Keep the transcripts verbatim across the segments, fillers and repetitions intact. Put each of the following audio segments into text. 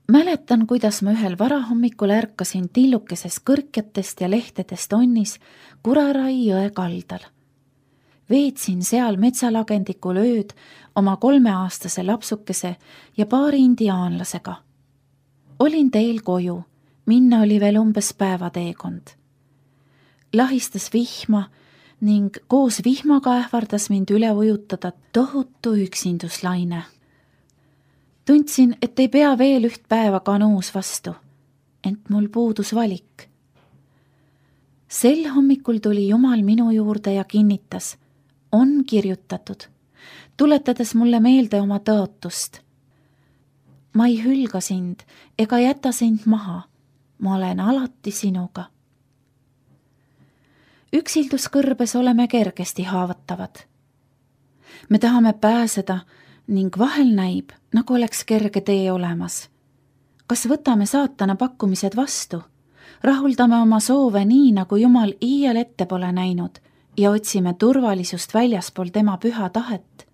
Mäletan, kuidas ma ühel varahommikul ärkasin tillukeses kõrkjatest ja lehtedest onnis Kurarai jõe kaldal. Veetsin seal metsalagendikul ööd oma kolmeaastase lapsukese ja paari indiaanlasega. Olin teel koju, minna oli veel umbes päevateekond. Lahistas vihma ning koos vihmaga ähvardas mind üle ujutada tohutu üksinduslaine. Tundsin, et ei pea veel üht päeva kanuus vastu, ent mul puudus valik. Sel hommikul tuli Jumal minu juurde ja kinnitas, on kirjutatud, tuletades mulle meelde oma tõotust. Ma ei hülga sind ega jäta sind maha, ma olen alati sinuga. Üksilduskõrbes oleme kergesti haavatavad. Me tahame pääseda ning vahel näib, nagu oleks kerge tee olemas. Kas võtame saatana pakkumised vastu, rahuldame oma soove nii, nagu Jumal iial ette pole näinud ja otsime turvalisust väljaspool tema püha tahet?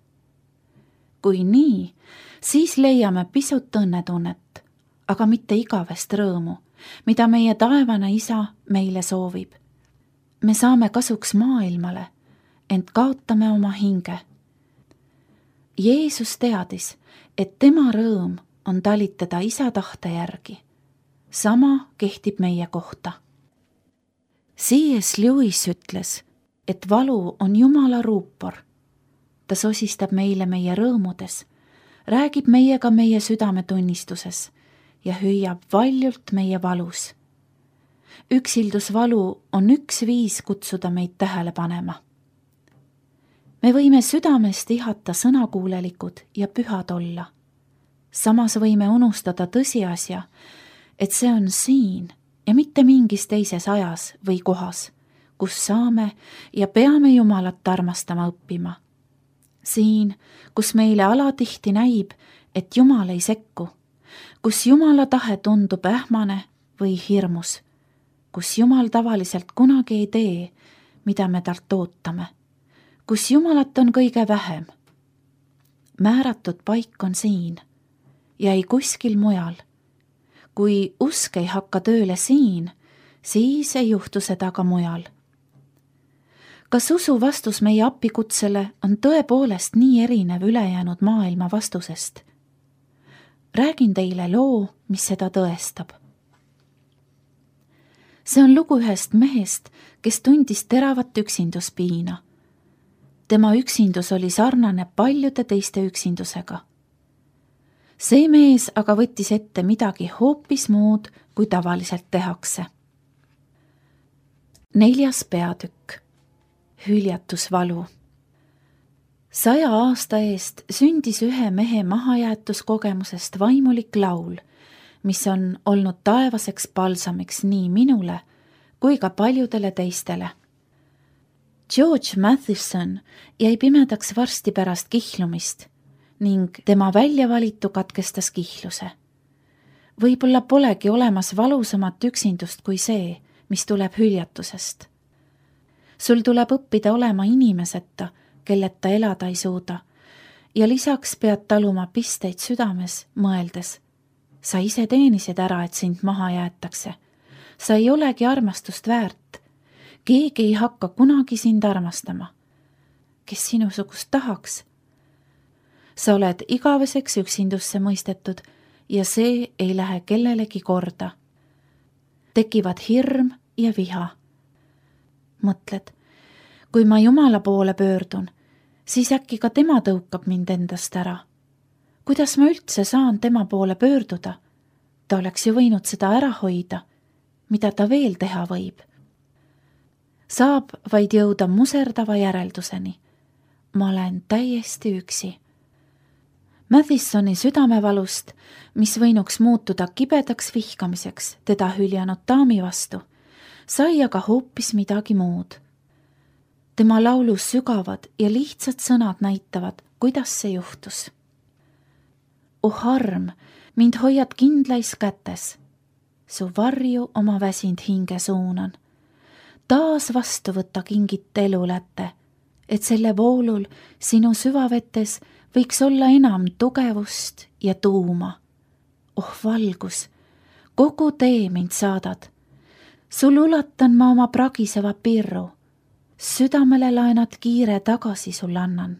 Kui nii, siis leiame pisut õnnetunnet, aga mitte igavest rõõmu, mida meie taevane isa meile soovib. Me saame kasuks maailmale, ent kaotame oma hinge. Jeesus teadis, et tema rõõm on talitada isa tahte järgi. Sama kehtib meie kohta. C S Lewis ütles, et valu on Jumala ruupor. Ta sosistab meile meie rõõmudes, räägib meiega meie südametunnistuses ja hüüab valjult meie valus. Üksildusvalu on üks viis kutsuda meid tähele panema. Me võime südamest ihata sõnakuulelikud ja pühad olla. Samas võime unustada tõsiasja, et see on siin ja mitte mingis teises ajas või kohas, kus saame ja peame Jumalat armastama õppima. Siin, kus meile alatihti näib, et Jumal ei sekku, kus Jumala tahe tundub ähmane või hirmus, kus Jumal tavaliselt kunagi ei tee, mida me talt ootame, kus Jumalat on kõige vähem. Määratud paik on siin ja ei kuskil mujal. Kui usk ei hakka tööle siin, siis ei juhtu seda ka mujal. Kas usu vastus meie appikutsele on tõepoolest nii erinev ülejäänud maailma vastusest? Räägin teile loo, mis seda tõestab. See on lugu ühest mehest, kes tundis teravat üksinduspiina. Tema üksindus oli sarnane paljude teiste üksindusega. See mees aga võttis ette midagi hoopis muud, kui tavaliselt tehakse. Neljas peatükk. Hüljatusvalu. Saja aasta eest sündis ühe mehe mahajäetuskogemusest vaimulik laul, mis on olnud taevaseks palsamiks nii minule kui ka paljudele teistele. George Matheson jäi pimedaks varsti pärast kihlumist ning tema väljavalitu katkestas kihluse. Võib-olla polegi olemas valusamat üksindust kui see, mis tuleb hüljatusest. Sul tuleb õppida olema inimeseta, kelleta elada ei suuda, ja lisaks pead taluma pisteid südames, mõeldes. Sa ise teenisid ära, et sind maha jäetakse. Sa ei olegi armastust väärt. Keegi ei hakka kunagi sind armastama. Kes sinusugust tahaks? Sa oled igaveseks üksindusse mõistetud ja see ei lähe kellelegi korda. Tekivad hirm ja viha. Mõtled, kui ma Jumala poole pöördun, siis äkki ka tema tõukab mind endast ära. Kuidas ma üldse saan tema poole pöörduda? Ta oleks ju võinud seda ära hoida. Mida ta veel teha võib? Saab vaid jõuda muserdava järelduseni. Ma olen täiesti üksi. Mathesoni südamevalust, mis võinuks muutuda kibedaks vihkamiseks teda hüljanud daami vastu, sai aga hoopis midagi muud. Tema laulus sügavad ja lihtsad sõnad näitavad, kuidas see juhtus. Oh arm, mind hoiad kindlais kätes. Su varju oma väsind hinge suunan. Taas vastu võtta kingit eluläte, et selle voolul sinu süvavetes võiks olla enam tugevust ja tuuma. oh valgus, kogu tee mind saadad. sul ulatan ma oma pragiseva pirru, südamele laenad kiire tagasi sul annan,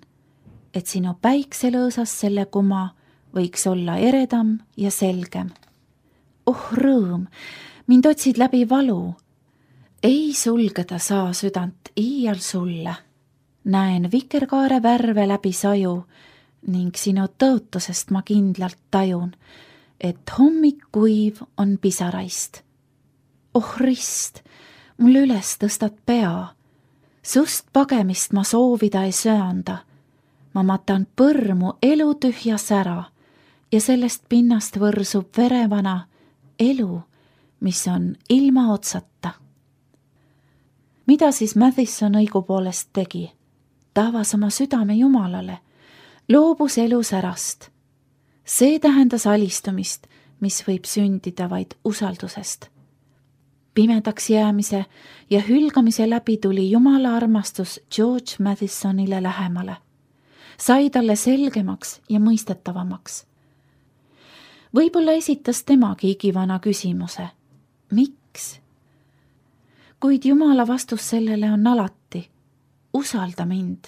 et sinu päikselõõsas selle kuma võiks olla eredam ja selgem. oh rõõm, mind otsid läbi valu, ei sulgeda saa südant iial sulle. näen vikerkaare värve läbi saju ning sinu tõotusest ma kindlalt tajun, et hommik kuiv on pisaraist. oh rist, mul üles tõstad pea, sust pagemist ma soovida ei söanda. ma matan põrmu elu tühja sära ja sellest pinnast võrsub verevana elu, mis on ilma otsata. mida siis Madison õigupoolest tegi? ta avas oma südame Jumalale, loobus elu särast. see tähendas alistumist, mis võib sündida vaid usaldusest. pimedaks jäämise ja hülgamise läbi tuli Jumala armastus George Madisonile lähemale, sai talle selgemaks ja mõistetavamaks. võib-olla esitas temagi igivana küsimuse, miks? kuid Jumala vastus sellele on alati, usalda mind.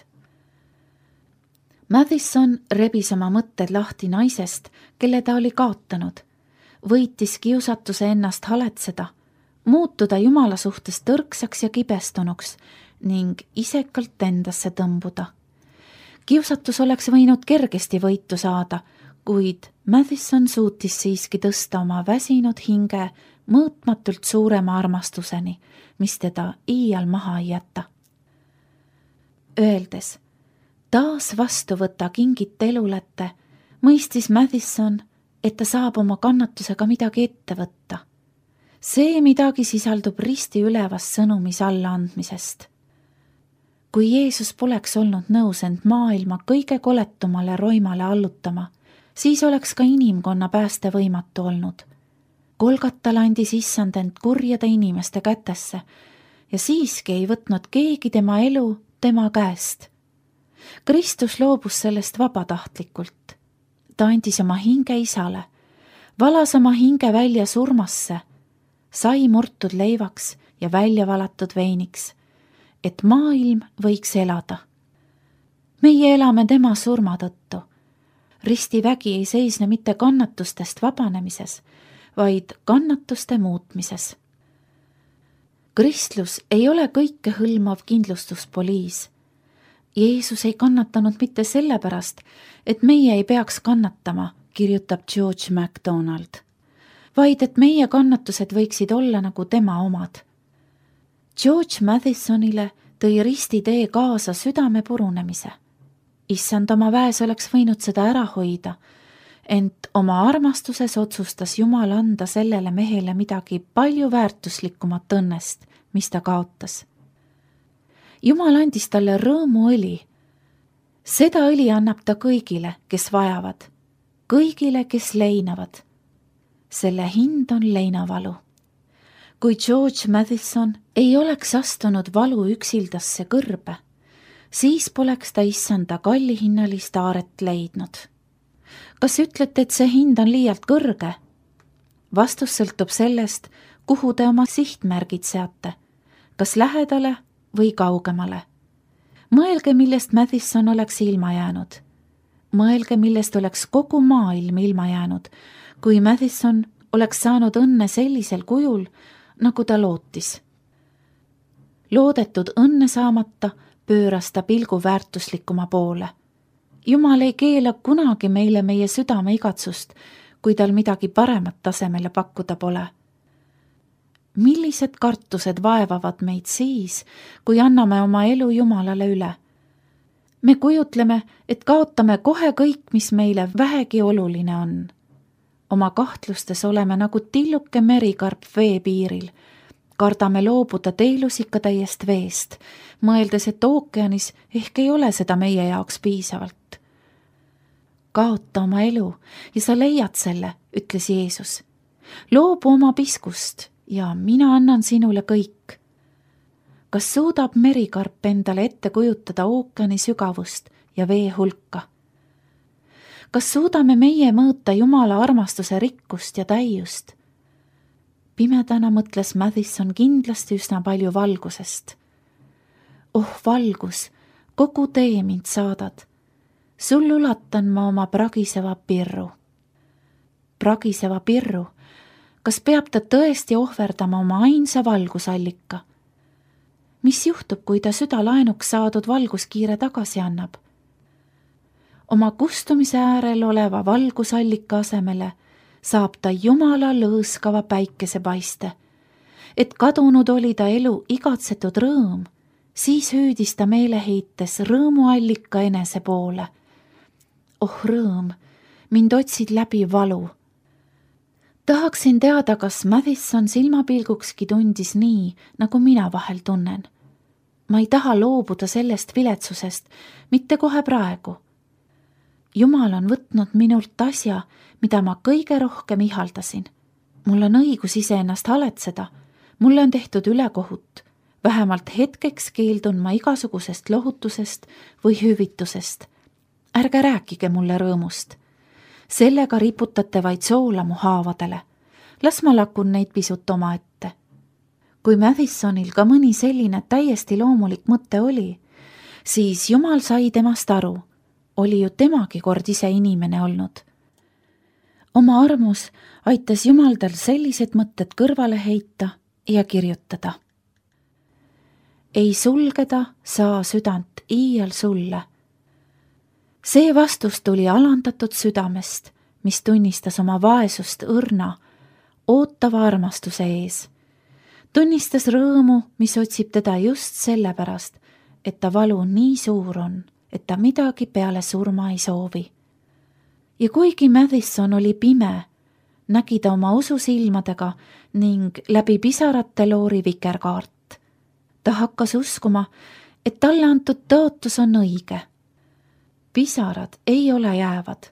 Madison rebis oma mõtted lahti naisest, kelle ta oli kaotanud, võitis kiusatuse ennast haletseda, muutuda Jumala suhtes tõrksaks ja kibestunuks ning isekalt endasse tõmbuda. kiusatus oleks võinud kergesti võitu saada, kuid Madison suutis siiski tõsta oma väsinud hinge mõõtmatult suurema armastuseni, mis teda iial maha ei jäta. Öeldes, taas vastu võta kingit elulette, mõistis Madison, et ta saab oma kannatusega midagi ette võtta. see midagi sisaldub risti ülevas sõnumis allaandmisest. kui Jeesus poleks olnud nõus end maailma kõige koletumale roimale allutama, siis oleks ka inimkonna pääste võimatu olnud. Golgatal andis issand end kurjade inimeste kätesse ja siiski ei võtnud keegi tema elu tema käest. Kristus loobus sellest vabatahtlikult. ta andis oma hinge isale, valas oma hinge välja surmasse, sai murtud leivaks ja välja valatud veiniks, et maailm võiks elada. meie elame tema surma tõttu. ristivägi ei seisne mitte kannatustest vabanemises, vaid kannatuste muutmises. Kristlus ei ole kõikehõlmav kindlustuspoliis. Jeesus ei kannatanud mitte sellepärast, et meie ei peaks kannatama, kirjutab George MacDonald, vaid et meie kannatused võiksid olla nagu tema omad. George Madisonile tõi ristitee kaasa südame purunemise. Issand oma väes oleks võinud seda ära hoida, ent oma armastuses otsustas Jumal anda sellele mehele midagi palju väärtuslikumat õnnest, mis ta kaotas. Jumal andis talle rõõmuõli. Seda õli annab ta kõigile, kes vajavad, kõigile, kes leinavad. Selle hind on leinavalu. Kui George Madison ei oleks astunud valu üksildasse kõrbe, siis poleks ta issanda kallihinnalist aaret leidnud. Kas ütlete, et see hind on liialt kõrge? Vastus sõltub sellest, kuhu te oma sihtmärgid seate, kas lähedale või kaugemale. Mõelge, millest Madison oleks ilma jäänud. Mõelge, millest oleks kogu maailm ilma jäänud, kui Madison oleks saanud õnne sellisel kujul, nagu ta lootis. Loodetud õnne saamata pööras ta pilgu väärtuslikuma poole. Jumal ei keela kunagi meile meie südame igatsust, kui tal midagi paremat tasemele pakkuda pole. Millised kartused vaevavad meid siis, kui anname oma elu Jumalale üle? Me kujutleme, et kaotame kohe kõik, mis meile vähegi oluline on. Oma kahtlustes oleme nagu tilluke merikarp vee piiril. Kardame loobuda teelusika täiest veest, mõeldes, et ookeanis ehk ei ole seda meie jaoks piisavalt. Kaota oma elu ja sa leiad selle, ütles Jeesus. Loobu oma piskust ja mina annan sinule kõik. Kas suudab merikarp endale ette kujutada ookeani sügavust ja vee hulka? kas suudame meie mõõta Jumala armastuse rikkust ja täiust? Pimedana mõtles Madison kindlasti üsna palju valgusest. Oh valgus, kogu tee mind saadad. Sul ulatan ma oma pragiseva pirru. Pragiseva pirru, kas peab ta tõesti ohverdama oma ainsa valgusallika? Mis juhtub, kui ta süda laenuks saadud valguskiire tagasi annab? Oma kustumise äärel oleva valgusallika asemele saab ta Jumala lõõskava päikesepaiste, et kadunud oli ta elu igatsetud rõõm, siis hüüdis ta meeleheites rõõmuallika enese poole. Oh rõõm, mind otsid läbi valu. Tahaksin teada, kas Madison silmapilgukski tundis nii, nagu mina vahel tunnen. Ma ei taha loobuda sellest viletsusest, mitte kohe praegu. Jumal on võtnud minult asja, mida ma kõige rohkem ihaldasin. Mul on õigus iseennast haletseda, mulle on tehtud ülekohut. Vähemalt hetkeks keeldun ma igasugusest lohutusest või hüvitusest. Ärge rääkige mulle rõõmust. Sellega riputate vaid soola mu haavadele. Las ma lakun neid pisut oma ette. Kui Madisonil ka mõni selline täiesti loomulik mõte oli, siis Jumal sai temast aru. Oli ju temagi kord ise inimene olnud. Oma armus aitas Jumal tal sellised mõtted kõrvale heita ja kirjutada. Ei sulgeda saa südant iial sulle. See vastus tuli alandatud südamest, mis tunnistas oma vaesust õrna, ootava armastuse ees. Tunnistas rõõmu, mis otsib teda just sellepärast, et ta valu nii suur on, et ta midagi peale surma ei soovi. Ja kuigi Madison oli pime, nägi ta oma ususilmadega ning läbi pisarate loori vikerkaart. Ta hakkas uskuma, et talle antud tõotus on õige. Pisarad ei ole jäävad.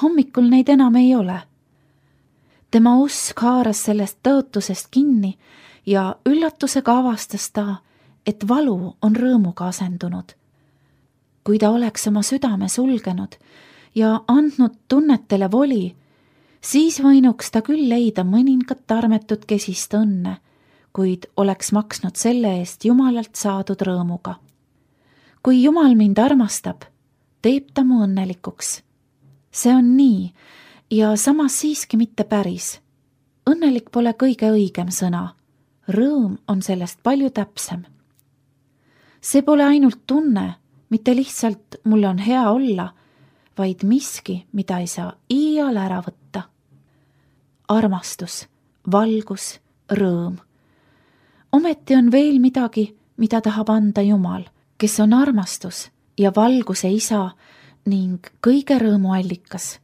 Hommikul neid enam ei ole. Tema usk haaras sellest tõotusest kinni ja üllatusega avastas ta, et valu on rõõmuga asendunud. Kui ta oleks oma südame sulgenud ja andnud tunnetele voli, siis võinuks ta küll leida mõningat armetut kesist õnne, kuid oleks maksnud selle eest Jumalalt saadud rõõmuga. Kui Jumal mind armastab, teeb ta mu õnnelikuks. See on nii ja samas siiski mitte päris. Õnnelik pole kõige õigem sõna. Rõõm on sellest palju täpsem. See pole ainult tunne, mitte lihtsalt mul on hea olla, vaid miski, mida ei saa iial ära võtta. Armastus, valgus, rõõm. Ometi on veel midagi, mida tahab anda Jumal, kes on armastus ja valguse isa ning kõige rõõmu allikas.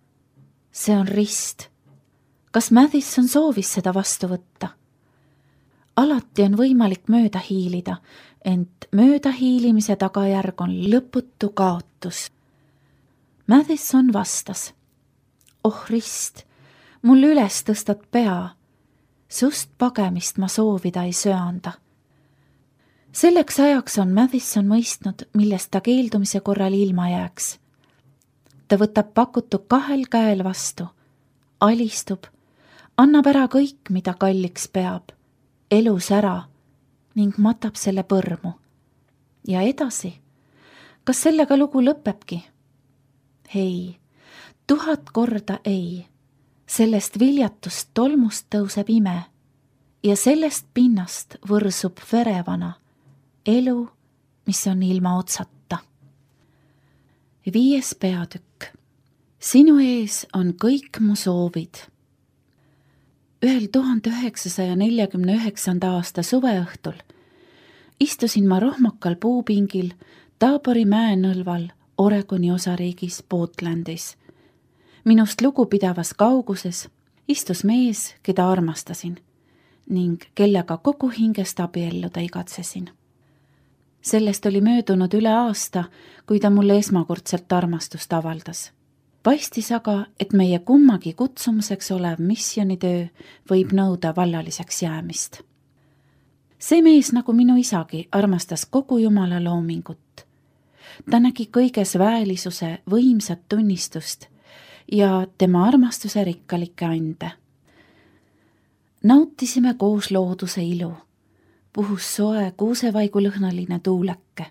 See on rist. Kas Madison soovis seda vastu võtta? Alati on võimalik mööda hiilida, ent mööda hiilimise tagajärg on lõputu kaotus. Madison vastas. Oh rist, mul üles tõstad pea. Sust pagemist ma soovida ei söanda. Selleks ajaks on Madison mõistnud, millest ta keeldumise korral ilma jääks. Ta võtab pakutu kahel käel vastu, alistub, annab ära kõik, mida kalliks peab, elus ära ning matab selle põrmu. Ja edasi, kas sellega lugu lõpebki? Ei, tuhat korda ei. Sellest viljatust tolmust tõuseb ime ja sellest pinnast võrsub verevana elu, mis on ilma otsata. Viies peatükk. Sinu ees on kõik mu soovid. Ühel tuhande üheksasaja neljakümne üheksanda aasta suveõhtul istusin ma rohmakal puupingil Taabori mäenõlval Oregoni osariigis Portlandis. Minust lugupidavas kauguses istus mees, keda armastasin ning kellega kogu hingest abielluda igatsesin. Sellest oli möödunud üle aasta, kui ta mulle esmakordselt armastust avaldas. Paistis aga, et meie kummagi kutsumuseks olev missionitöö võib nõuda vallaliseks jäämist. See mees, nagu minu isagi, armastas kogu Jumala loomingut. Ta nägi kõiges väelisuse võimsat tunnistust ja tema armastuse rikkalikke ande. Nautisime koos looduse ilu, puhus soe kuusevaigulõhnaline tuuleke.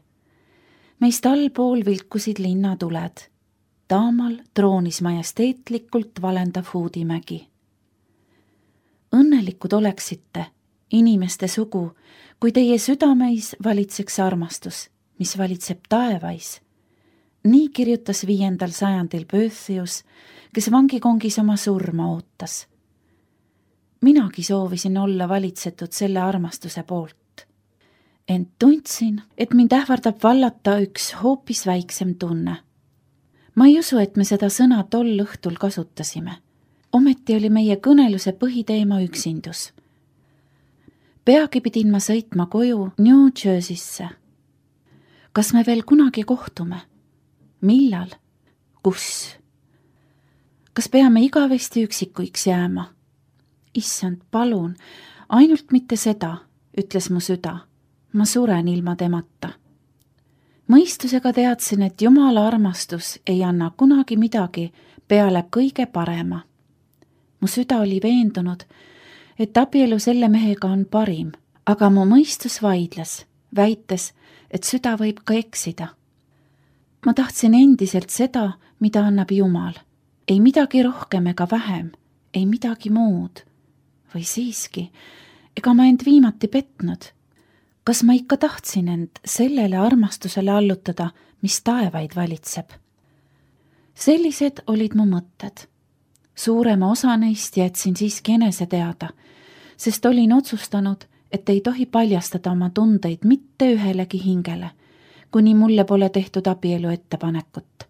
Meist allpool vilkusid linnatuled, taamal troonis majesteetlikult valendav Huudimägi. Õnnelikud oleksite, inimeste sugu, kui teie südameis valitseks armastus, mis valitseb taevais. Nii kirjutas viiendal sajandil Boethius, kes vangikongis oma surma ootas. Minagi soovisin olla valitsetud selle armastuse poolt. Ent tundsin, et mind ähvardab vallata üks hoopis väiksem tunne. Ma ei usu, et me seda sõna tol õhtul kasutasime. Ometi oli meie kõneluse põhiteema üksindus. Peagi pidin ma sõitma koju New Jerseysse. Kas me veel kunagi kohtume? Millal? Kus? Kas peame igavesti üksikuiks jääma? Issand, palun, ainult mitte seda, ütles mu süda. Ma suren ilma temata. Mõistusega teadsin, et Jumala armastus ei anna kunagi midagi peale kõige parema. Mu süda oli veendunud, et abielu selle mehega on parim, aga mu mõistus vaidles, väites, et süda võib ka eksida. Ma tahtsin endiselt seda, mida annab Jumal. Ei midagi rohkem ega vähem, ei midagi muud. Või siiski, ega ma end viimati petnud. Kas ma ikka tahtsin end sellele armastusele allutada, mis taevaid valitseb? Sellised olid mu mõtted. Suurema osa neist jätsin siiski enese teada, sest olin otsustanud, et ei tohi paljastada oma tundeid mitte ühelegi hingele, kuni mulle pole tehtud abielu ettepanekut.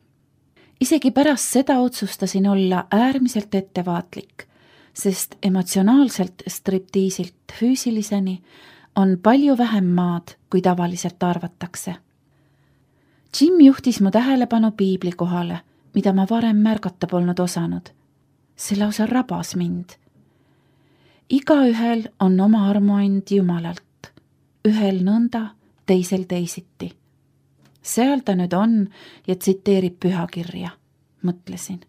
Isegi pärast seda otsustasin olla äärmiselt ettevaatlik, sest emotsionaalselt striptiisilt füüsiliseni on palju vähem maad, kui tavaliselt arvatakse. Jim juhtis mu tähelepanu piibli kohale, mida ma varem märgata polnud osanud. See lausa rabas mind. Igaühel on oma armuand Jumalalt, ühel nõnda, teisel teisiti. Seal ta nüüd on ja tsiteerib pühakirja, mõtlesin.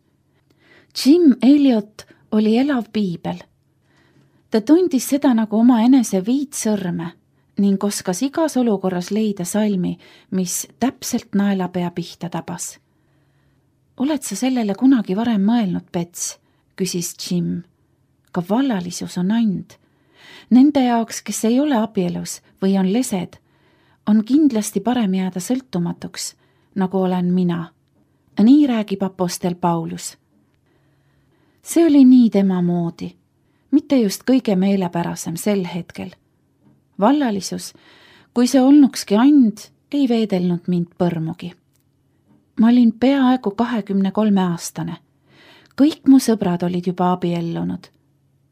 Jim Elliot oli elav piibel. Ta tundis seda nagu oma enese viit sõrme ning oskas igas olukorras leida salmi, mis täpselt naelapea pihta tabas. Oled sa sellele kunagi varem mõelnud, Pets? Küsis Jim. Ka vallalisus on and. Nende jaoks, kes ei ole abielus või on lesed, on kindlasti parem jääda sõltumatuks, nagu olen mina. Nii räägib apostel Paulus. See oli nii tema moodi, mitte just kõige meelepärasem sel hetkel. Vallalisus, kui see olnukski and, ei veedelnud mind põrmugi. Ma olin peaaegu kahekümne kolme aastane. Kõik mu sõbrad olid juba abiellunud.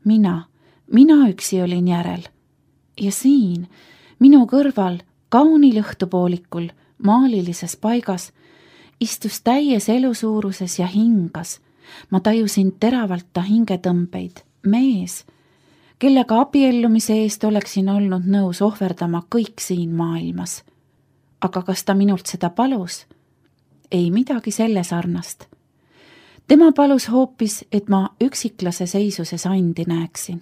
Mina, mina üksi olin järel. Ja siin, minu kõrval, kaunil õhtupoolikul, maalilises paigas, istus täies elusuuruses ja hingas. Ma tajusin teravalt ta hingetõmbeid, mees, kellega abiellumise eest oleksin olnud nõus ohverdama kõik siin maailmas. Aga kas ta minult seda palus? Ei midagi selle sarnast. Tema palus hoopis, et ma üksiklase seisuses andi näeksin.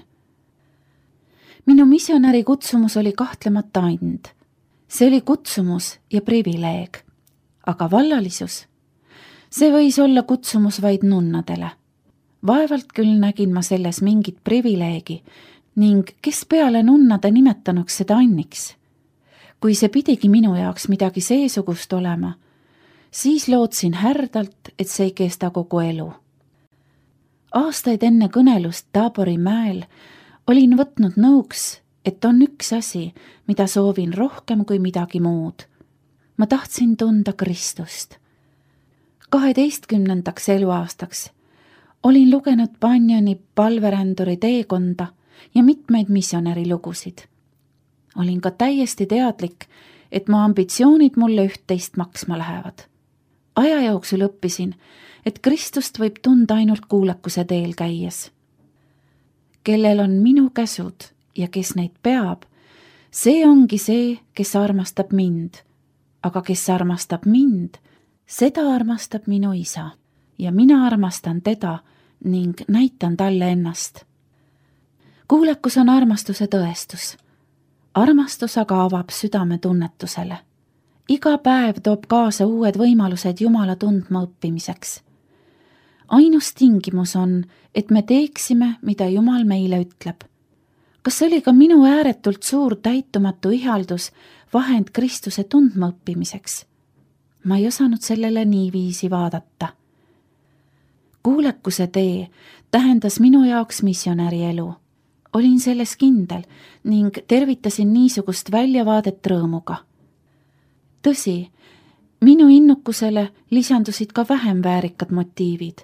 Minu missionäri kutsumus oli kahtlemata and. See oli kutsumus ja privileeg. Aga vallalisus? See võis olla kutsumus vaid nunnadele. Vaevalt küll nägin ma selles mingit privileegi ning kes peale nunnade nimetanuks seda anniks. Kui see pidigi minu jaoks midagi seesugust olema, siis lootsin härdalt, et see ei kesta kogu elu. Aastaid enne kõnelust Taabori mäel olin võtnud nõuks, et on üks asi, mida soovin rohkem kui midagi muud. Ma tahtsin tunda Kristust. kaheteistkümnendaks eluaastaks olin lugenud Bunjani palveränduri teekonda ja mitmeid missionäri lugusid. Olin ka täiesti teadlik, et mu ambitsioonid mulle üht-teist maksma lähevad. Aja jooksul õppisin, et Kristust võib tunda ainult kuulekuse teel käies. Kellel on minu käsud ja kes neid peab, see ongi see, kes armastab mind. Aga kes armastab mind, seda armastab minu isa. ja mina armastan teda ning näitan talle ennast. kuulekus on armastuse tõestus. armastus aga avab südame tunnetusele. iga päev toob kaasa uued võimalused Jumala tundma õppimiseks. ainus tingimus on, et me teeksime, mida Jumal meile ütleb. kas oli ka minu ääretult suur täitumatu ihaldus vahend Kristuse tundma õppimiseks? ma ei osanud sellele niiviisi vaadata. kuulekuse tee tähendas minu jaoks missionäri elu. olin selles kindel ning tervitasin niisugust väljavaadet rõõmuga. tõsi, minu innukusele lisandusid ka vähem väärikad motiivid.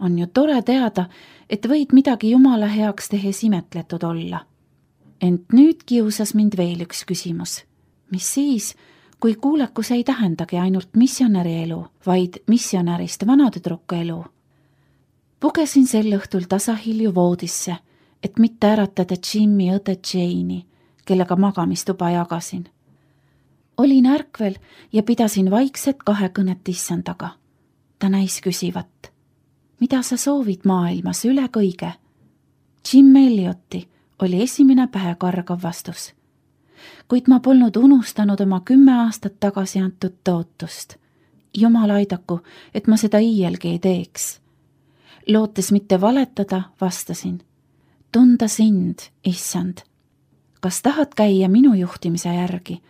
on ju tore teada, et võid midagi Jumala heaks tehes imetletud olla. ent nüüd kiusas mind veel üks küsimus. mis siis, kui kuulekus ei tähendagi ainult missionäri elu, vaid missionärist vanatüdruku elu? pugesin sel õhtul tasahilju voodisse, et mitte äratada Jimmy õde Jane'i, kellega magamistuba jagasin. olin ärkvel ja pidasin vaikset kahekõnet issandaga. ta näis küsivat. mida sa soovid maailmas üle kõige? Jim Elliotti oli esimene pähekargav vastus. kuid ma polnud unustanud oma kümme aastat tagasi antud tõotust. Jumal aidaku, et ma seda iielgi ei teeks. lootes mitte valetada, vastasin. tunda sind, issand. kas tahad käia minu juhtimise järgi?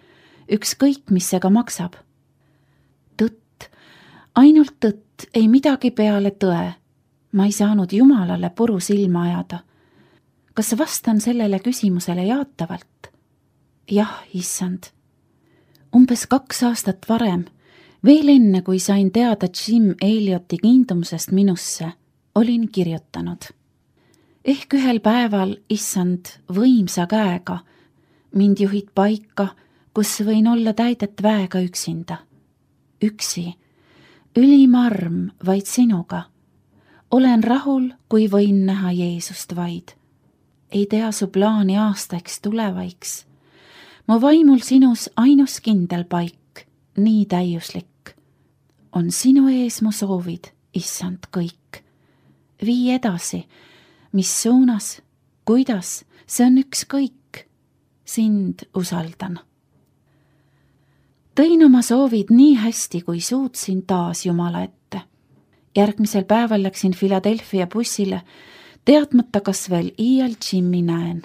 ükskõik, mis see ka maksab. tõtt, ainult tõtt, ei midagi peale tõe. ma ei saanud Jumalale puru silma ajada. kas vastan sellele küsimusele jaatavalt? jah, issand. umbes kaks aastat varem, veel enne, kui sain teada Jim Elliotti kiindumusest minusse, olin kirjutanud. ehk ühel päeval, issand, võimsa käega, mind juhid paika, kus võin olla täidet väega üksinda. üksi, ülim arm vaid sinuga. olen rahul, kui võin näha Jeesust vaid. ei tea su plaani aastaiks tulevaiks. mu vaimul sinus ainus kindel paik, nii täiuslik. on sinu ees mu soovid, issand, kõik. vii edasi, mis suunas, kuidas, see on ükskõik. sind usaldan. tõin oma soovid nii hästi, kui suutsin taas Jumala ette. järgmisel päeval läksin Philadelphia bussile, teadmata, kas veel iial Jimmy näen.